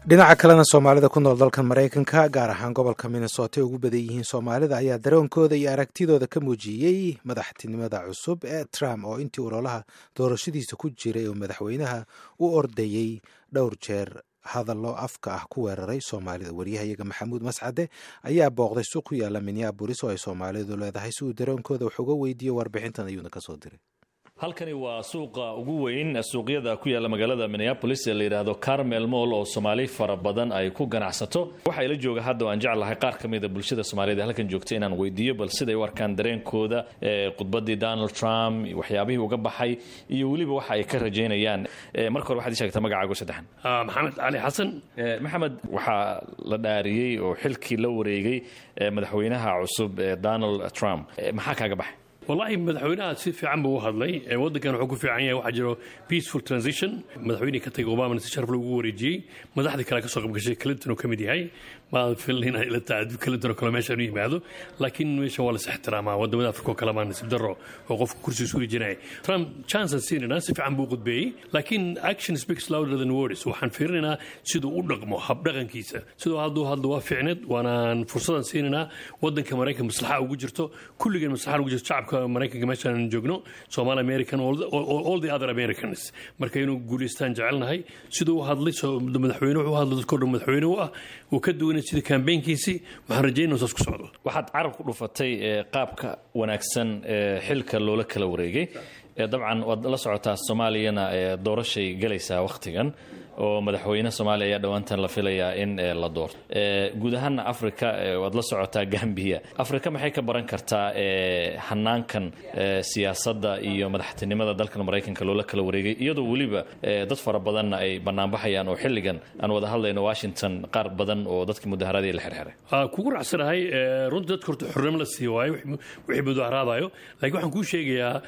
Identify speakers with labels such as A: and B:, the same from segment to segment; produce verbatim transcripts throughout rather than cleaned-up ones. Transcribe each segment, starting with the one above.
A: Dhinaca kalena, Soomaalida ku nool dalka Maraykanka, gaar ahaan gobolka Minnesota ay ugu badan yihiin Soomaalida, ayaa dareenkooda iyo aragtidooda ka muujiyey madaxtinimada cusub ee Trump, oo intii ololaha doorashadiisa ku jiray oo madaxweynaha u ordayey dhowr jeer hadallo afka ah ku weeraray Soomaalida. Wariyahayaga Maxamuud Mascade ayaa booqday suuq ku yaala Minneapolis oo ay Soomaalidu leedahay si uu dareenkooda wax uga weydiiyo. Warbixintan ayuuna kasoo diray.
B: Halkani waa suuqa ugu weyn suuqyada ku yaalla magaalada Minneapolis ee la yidhaahdo Karmel Mall, oo Soomaali fara badan ay ku ganacsato. Waxaa ila jooga hadda oo aan jeclahay qaar ka mida bulshada Soomaaliyeed ee halkan joogta inaan weydiiyo bal siday u arkaan dareenkooda khudbaddii Donald Trump, waxyaabihii uga baxay iyo weliba waxa ay ka rajaynayaan. Marka hore, waxaad ii sheegtaa magacaago saddexan.
C: Maxamed Cali Xasan.
B: Maxamed, waxaa la dhaariyey oo xilkii la wareegay madaxweynaha cusub ee Donald Trump. Maxaa kaaga baxay?
C: Wallahi, madaxweynaha si fiican buu u hadlay. Waddankan wuxuu ku fiican yahay waxaa jiro peaceful transition. Madaxweynihii ka tagay Obamana si sharaf loogu wareejiyey. Madaxdii kale ka soo qaybgashay, Clinton uu ka mid yahay. Ma filin inay ila tahay Clinton oo kale meesha inuu yimaado, laakiin meesha waa la is ixtiraamaa. Wadamada Afrika oo kale maa nasiib darro oo qofka kursiga isku wareejinaya. Trump chance aan siinayna. Si fiican buu khudbeeyey, laakiin action speaks louder than words. Waxaan fiirinaynaa siduu u dhaqmo, habdhaqankiisa. Siduu hadduu hadlo waa fiicneed, waanaan fursadan siinaynaa. Waddanka Maraykan maslaxa ugu jirto, kulligeen maslaxa ugu jirto, shacabka Maraykanka meeshaan joogno, Somali American, all, all, all the other Americans. Marka inuu guulaystaan jecelnahay. Siduu u hadlay madaxweyne wuxuu hadlay dadkoo dhan madaxweyne u ah uu ka duwanay sida campaignkiisii. Waxaan rajaynaa saas ku socdo.
B: Waxaad carab ku dhufatay qaabka wanaagsan ee xilka loola kala wareegay. Dabcan waad la socotaa, Soomaaliyana doorashay galaysaa wakhtigan oo madaxweyne Soomaaliya ayaa dhowaantan la filayaa in la doorto. Guud ahaana Africa waad la socotaa, Gambiya. Afrika maxay ka baran kartaa hanaankan siyaasadda iyo madaxtinimada dalkan Maraykanka loola kala wareegay, iyadoo weliba dad fara badanna ay banaanbaxayaan oo xilligan aan wada hadlayno Washington qaar badan oo dadkii mudaharaadii la xirxiray?
C: Kugu raacsanahay. Runtii dadka horta xornimo la siiyo waayo wixii mudaharaadayo, laakiin waxaan kuu sheegayaa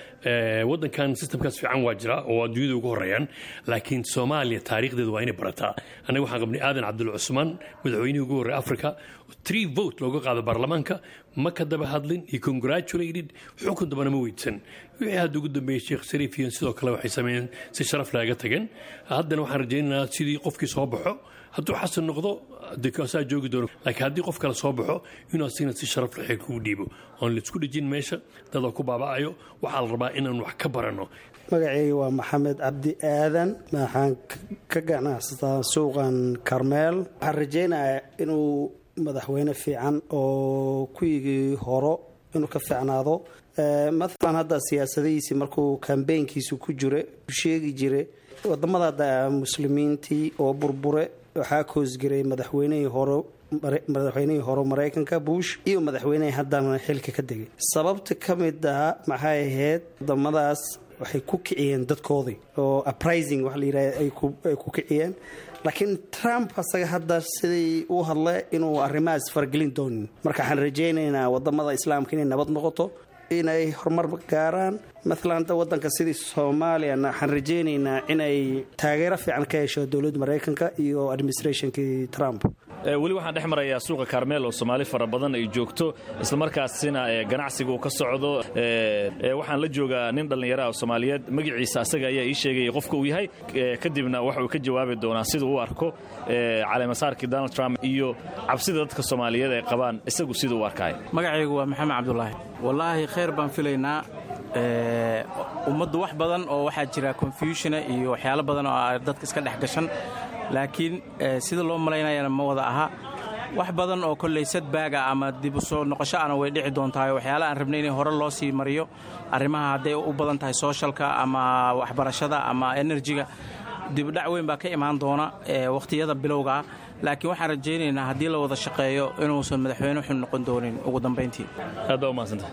C: waddankan systemkaas fiican waa jira oo adduunyada ugu horreeyaan, laakiin Soomaaliya taariikhdeedu waa inay barataa. Annaga waxaan qabnay Aadan Cabdulla Cusmaan, madaxweynihii ugu horreeyay Africa, three vote looga qaado baarlamaanka. Ma ka daba hadlin, he congratulated, xukun dambana ma weydisan. Wixii hadda ugu dambeeyey, Sheekh Shariif iyo sidoo kale waxay sameeyeen si sharaf laaga tageen. Haddana waxaan rajaynaynaa sidii qofkii soo baxo, hadduu Xasan noqdo asaa joogi doono, laakiin haddii qof kale soo baxo, inuu asigna si sharaf leh kugu dhiibo oon laisku dhejin meesha dadoo ku baaba'ayo. Waxaa la rabaa inaan wax ka baranno.
D: Magacayga waa Maxamed Cabdi Aadan. Waxaan ka ganacsataa suuqan Karmeel. Waxaan rajaynayaa inuu madaxweyne fiican oo kuwigii horo inuu ka fiicnaado. Maalan hadda siyaasadihiisii markuu campaignkiisu ku jira sheegi jiray wadamada hadda Muslimiintii oo burbure waxaa koosgaray madaxweynihii hore madaxweynihii hore Maraykanka Bush iyo madaxweynihii haddana xilka ka degay. Sababta ka mid ah maxay ahayd? Wadamadaas waxay ku kiciyeen dadkoodii oo uprising waxa la yidhahda ay ku kiciyeen, laakiin Trump asaga hadda sidii uu hadlay inuu arrimahaas faragelin doonin. Marka waxaan rajaynaynaa wadamada Islaamka inay nabad noqoto, inay horumar gaaraan. Maalan hadda wadanka sidii Soomaaliyana waxaan rajaynaynaa inay taageero fiican ka hesho dowladda Maraykanka iyo administrationkii Trump.
B: Weli waxaan dhex marayaa suuqa Karmeel oo Soomaali fara badan ay joogto, islamarkaasina ganacsiga uu ka socdo. Waxaan la joogaa nin dhallinyaraha oo Soomaaliyeed. Magaciisa asaga ayaa ii sheegaya qofka uu yahay, kadibna waxa uu ka jawaabi doonaa siduu u arko caleemasaarkii Donald Trump iyo cabsida dadka Soomaaliyeed ay qabaan, isagu siduu u arkaayo.
E: Magacaygu waa Maxamed Cabdulaahi. Wallaahi, khayr baan filaynaa. Ummaddu wax badan oo waxaa jira confusiona iyo waxyaalo badan oo dadka iska dhex gashan, laakiin sida loo malaynayana ma wada aha. Wax badan oo kolley sadbaaga ama dib u soo noqosho ana way dhici doontahay. Waxyaala aan rabnay inay hore loo sii mariyo, arrimaha hadday u badan tahay socialka ama waxbarashada ama energyga, dibudhac weyn baa ka imaan doona wakhtiyada bilowgaa, laakiin waxaan rajaynaynaa haddii la wada shaqeeyo inuusan madaxweyne xun noqon doonin ugu dambayntii.
B: Aad baa umahadsantah.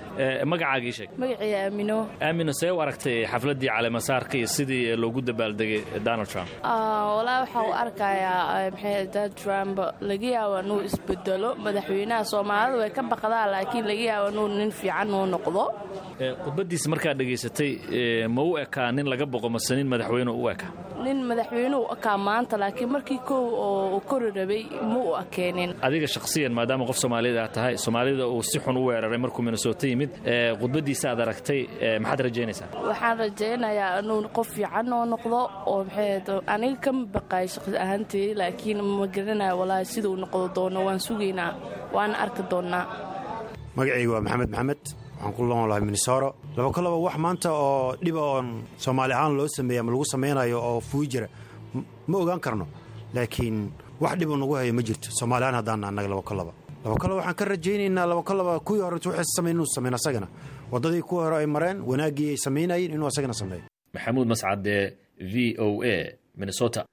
B: Magacaaga ii sheeg.
F: Magacii Aamino.
B: Aamino, see u aragtay xafladdii caleemasaarka iyo sidii loogu dabaaldegay Donald Trump?
F: Walaa, waxaa u arkayaa maxay, Donald Trump laga yaaba inuu isbedelo. Madaxweynaha Soomaalida way ka baqdaa, laakiin laga yaaba inuu nin fiican uu noqdo.
B: Khudbaddiisa markaad dhegaysatay, ma u ekaa nin laga boqo mase nin madaxweyne u ekaa?
F: Nin madaxweynuhu ekaa maanta, laakiin markii kow oo kori rabay ma u akeenin.
B: Adiga shakhsiyan, maadaama qof Soomaalida aad tahay, Soomaalida uu si xun u weeraray markuu Minnesota yimid, khudbaddiisa aad aragtay, maxaad rajaynaysaa?
F: Waxaan rajaynayaa inuu qof fiican oo noqdo oo maxay aniga kama baqaayo shaqsi ahaantii, laakiin ma garanayo walaahi siduu noqdo doono. Waan sugaynaa, waana arki doonnaa.
G: Magacayga waa Maxamed Maxamed, waxaan ku noolahay Minnesota. Laba ka laba wax maanta oo dhiba oon Soomaali ahaan loo sameeya ama lagu samaynayo oo fuuyi jira ma ogaan karno, laakiin wax dhibu nagu hayo ma jirto Soomaali ahaan haddaan annaga. Laba ka laba laba ka laba waxaan ka rajaynaynaa laba ka laba kuwii hore waxay samayn inuu sameyn, asagana waddadii kuwii hore ay mareen, wanaaggii ay samaynayeen inuu asagana sameeyo.
B: Maxamuud Mascade, V O A, Minnesota.